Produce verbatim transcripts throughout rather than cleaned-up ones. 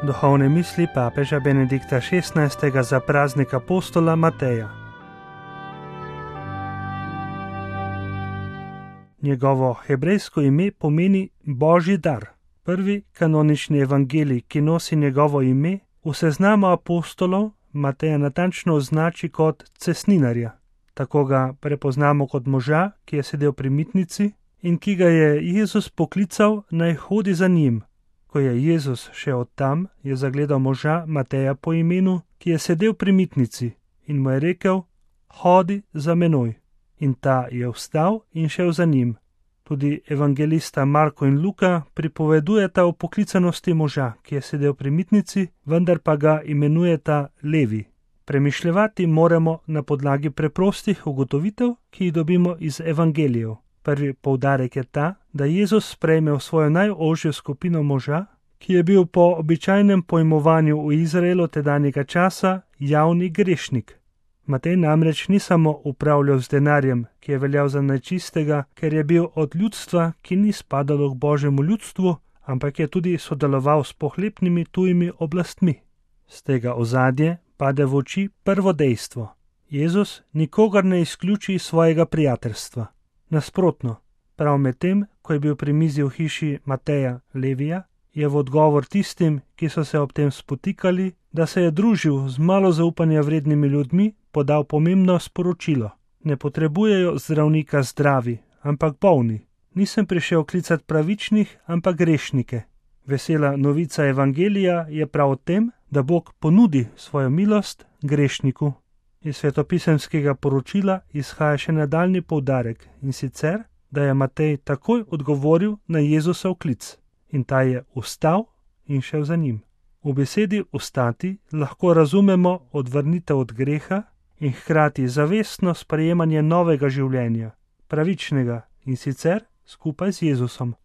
Duhovne misli papeža Benedikta šestnajstega za praznik apostola Mateja. Njegovo hebrejsko ime pomeni Božji dar. Prvi kanonični evangelij, ki nosi njegovo ime, v seznamu apostolov Mateja natančno označi kot cestninarja. Tako ga prepoznamo kot moža, ki je sedel pri mitnici in ki ga je Jezus poklical, naj hodi za njim. Ko je Jezus šel od tam, je zagledal moža Mateja po imenu, ki je sedel pri mitnici in mu je rekel: hodi za menoj. In ta je vstal in šel za njim. Tudi evangelista Marko in Luka pripovedujeta o poklicanosti moža, ki je sedel pri mitnici, vendar pa ga imenujeta Levi. Premišljevati moramo na podlagi preprostih ugotovitev, ki jih dobimo iz evangelijev. Prvi poudarek je ta, da Jezus sprejme v svojo najožjo skupino moža, ki je bil po običajnem pojmovanju v Izraelu tedanjega časa javni grešnik. Matej namreč ni samo upravljal z denarjem, ki je veljal za nečistega, ker je bil od ljudstva, ki ni spadalo k Božjemu ljudstvu, ampak je tudi sodeloval s pohlepnimi tujimi oblastmi. Z tega ozadje pade v oči prvo dejstvo. Jezus nikogar ne izključi iz svojega prijateljstva. Nasprotno, prav medtem, ko je bil pri mizi v hiši Mateja Levija, je v odgovor tistim, ki so se ob tem spotikali, da se je družil z malo zaupanja vrednimi ljudmi, podal pomembno sporočilo. Ne potrebujejo zdravnika zdravi, ampak bolni. Nisem prišel klicati pravičnih, ampak grešnike. Vesela novica evangelija je prav o tem, da Bog ponudi svojo milost grešniku. Iz svetopisemskega poročila izhaja še nadaljni poudarek, in sicer, da je Matej takoj odgovoril na Jezusov klic in ta je vstal in šel za njim. V besedi vstati lahko razumemo odvrnitev od greha in hkrati zavestno sprejemanje novega življenja, pravičnega in sicer skupaj z Jezusom.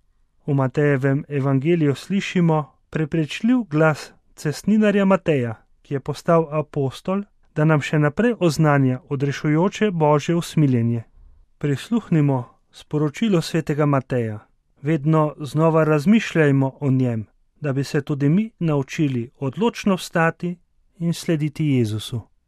V Matejevem evangeliju slišimo prepričljiv glas cestninarja Mateja, ki je postal apostol, da nam še naprej oznanja odrešujoče Božje usmiljenje. Prisluhnimo sporočilu svetega Mateja. Vedno znova razmišljajmo o njem, da bi se tudi mi naučili odločno vstati in slediti Jezusu.